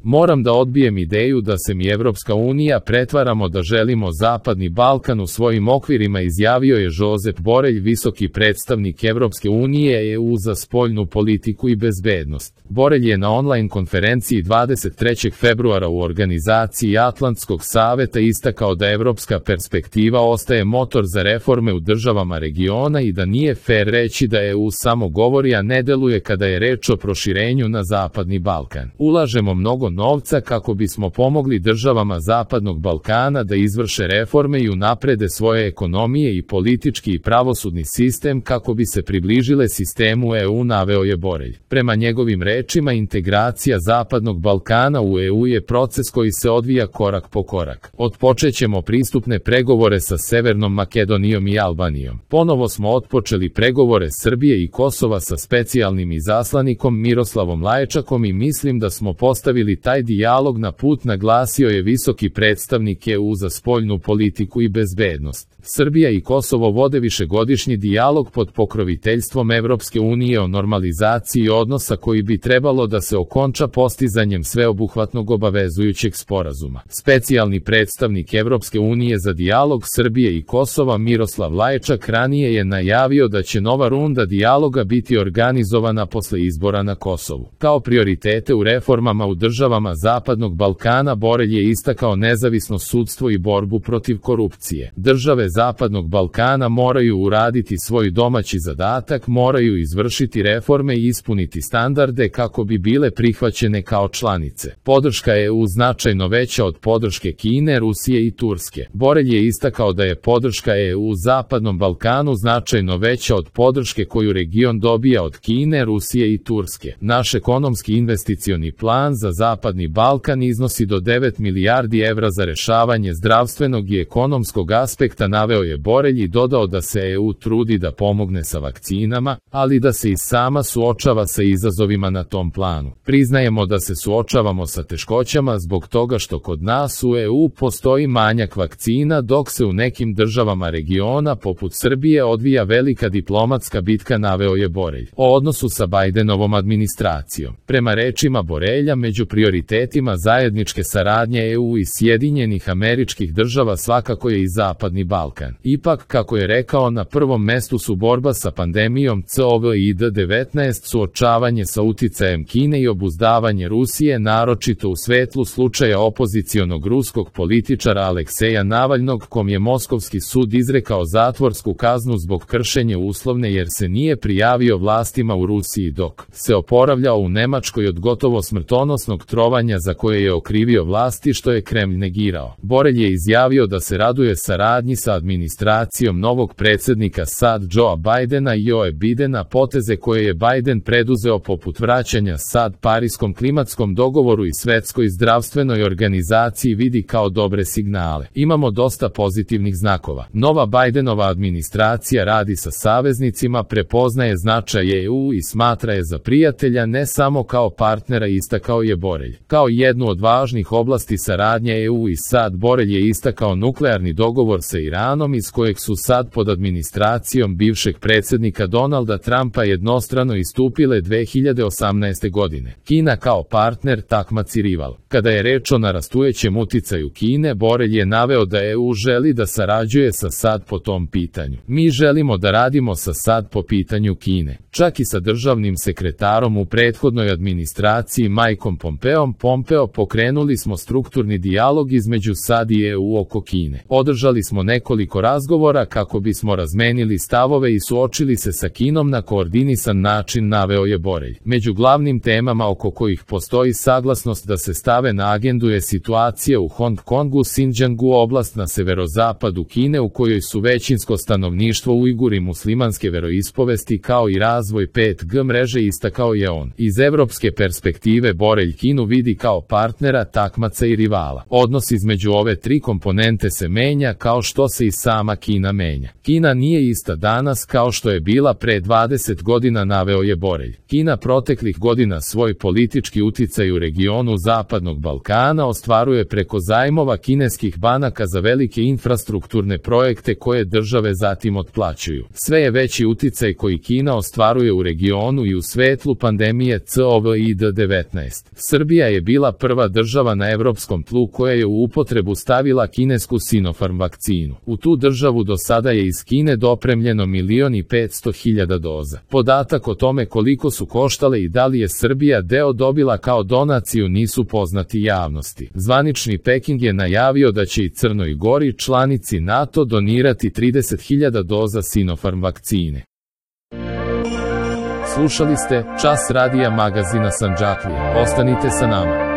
Moram da odbijem ideju da se mi Evropska unija pretvaramo da želimo Zapadni Balkan u svojim okvirima, izjavio je Josep Borelj, visoki predstavnik Evropske unije EU za spoljnu politiku i bezbednost. Borelj je na online konferenciji 23. februara u organizaciji Atlantskog saveta istakao da evropska perspektiva ostaje motor za reforme u državama regiona i da nije fer reći da EU samo govori, a ne deluje kada je reč o proširenju na Zapadni Balkan. Ulažemo mnogo novca kako bismo pomogli državama Zapadnog Balkana da izvrše reforme i unaprede svoje ekonomije i politički i pravosudni sistem kako bi se približile sistemu EU, naveo je Borelj. Prema njegovim rečima, integracija Zapadnog Balkana u EU je proces koji se odvija korak po korak. Otpočećemo pristupne pregovore sa Severnom Makedonijom i Albanijom. Ponovo smo otpočeli pregovore Srbije i Kosova sa specijalnim izaslanikom Miroslavom Lajčakom i mislim da smo postavili taj dijalog na put, naglasio je visoki predstavnik EU za spoljnu politiku i bezbednost. Srbija i Kosovo vode višegodišnji dijalog pod pokroviteljstvom Evropske unije o normalizaciji odnosa koji bi trebalo da se okonča postizanjem sveobuhvatnog obavezujućeg sporazuma. Specijalni predstavnik Evropske unije za dijalog Srbije i Kosova Miroslav Lajčak ranije je najavio da će nova runda dijaloga biti organizovana posle izbora na Kosovu. Kao prioritete u reformama u državama Zapadnog Balkana Borelj je istakao nezavisno sudstvo i borbu protiv korupcije. Države Zapadnog Balkana moraju uraditi svoj domaći zadatak, moraju izvršiti reforme i ispuniti standarde kako bi bile prihvaćene kao članice. Podrška EU značajno veća od podrške Kine, Rusije i Turske. Borelj je istakao da je podrška EU Zapadnom Balkanu značajno veća od podrške koju region dobija od Kine, Rusije i Turske. Naš ekonomski investicioni plan za Zapadni Balkan iznosi do 9 milijardi evra za rešavanje zdravstvenog i ekonomskog aspekta, naveo je Borelj i dodao da se EU trudi da pomogne sa vakcinama, ali da se i sama suočava sa izazovima na tom planu. Priznajemo da se suočavamo sa teškoćama zbog toga što kod nas u EU postoji manjak vakcina, dok se u nekim državama regiona poput Srbije odvija velika diplomatska bitka, naveo je Borelj. O odnosu sa Bajdenovom administracijom. Prema rečima Borelja, među prioritetima zajedničke saradnje EU i Sjedinjenih Američkih Država svakako je i Zapadni Balkan. Ipak, kako je rekao, na prvom mestu su borba sa pandemijom COVID-19, suočavanje sa uticajem Kine i obuzdavanje Rusije, naročito u svetlu slučaja opozicionog ruskog političara Alekseja Navalnog, kom je Moskovski sud izrekao zatvorsku kaznu zbog kršenja uslovne jer se nije prijavio vlastima u Rusiji dok se oporavljao u Nemačkoj od gotovo smrtonosnog trovanja za koje je okrivio vlasti, što je Kremlj negirao. Borelj je izjavio da se raduje saradnji sa administracijom novog predsjednika SAD Joea Bajdena i Joe Bidena, poteze koje je Bajden preduzeo poput vraćanja SAD Pariskom klimatskom dogovoru i Svetskoj zdravstvenoj organizaciji vidi kao dobre signale. Imamo dosta pozitivnih znakova. Nova Bajdenova administracija radi sa saveznicima, prepoznaje značaj EU i smatra je za prijatelja, ne samo kao partnera, istakao je Borelj. Kao jednu od važnih oblasti saradnje EU i SAD Borelj je istakao nuklearni dogovor sa Iranom, iz kojeg su SAD pod administracijom bivšeg predsjednika Donalda Trumpa jednostrano istupile 2018. godine. Kina kao partner, takmac i rival. Kada je reč o narastujećem uticaju Kine, Borelj je naveo da EU želi da sarađuje sa SAD po tom pitanju. Mi želimo da radimo sa SAD po pitanju Kine. Čak i sa državnim sekretarom u prethodnoj administraciji Mikeom Pompeom pokrenuli smo strukturni dijalog između SAD i EU oko Kine. Održali smo nekoliko razgovora kako bismo razmenili stavove i suočili se sa Kinom na koordinisan način, naveo je Borelj. Među glavnim temama oko kojih postoji saglasnost da se stave na agendu je situacija u Hong Kongu, Xinjiangu, oblast na severozapadu Kine u kojoj su većinsko stanovništvo Ujguri muslimanske veroispovesti, kao i razvoj 5G mreže, istakao je on. Iz evropske perspektive Borelj Kinu vidi kao partnera, takmaca i rivala. Odnos između ove tri komponente se menja kao što se i sama Kina menja. Kina nije ista danas kao što je bila pre 20 godina, naveo je Borelj. Kina proteklih godina svoj politički uticaj u regionu Zapadnog Balkana ostvaruje preko zajmova kineskih banaka za velike infrastrukturne projekte koje države zatim otplaćuju. Sve je veći uticaj koji Kina ostvaruje u regionu i u svetlu pandemije COVID-19. Srbija Srbija je bila prva država na evropskom tlu koja je u upotrebu stavila kinesku Sinopharm vakcinu. U tu državu do sada je iz Kine dopremljeno 1.500.000 doza. Podatak o tome koliko su koštale i da li je Srbija deo dobila kao donaciju nisu poznati javnosti. Zvanični Peking je najavio da će i Crnoj Gori, članici NATO, donirati 30.000 doza Sinopharm vakcine. Slušali ste Čas radija magazina Sandžaklija. Ostanite sa nama.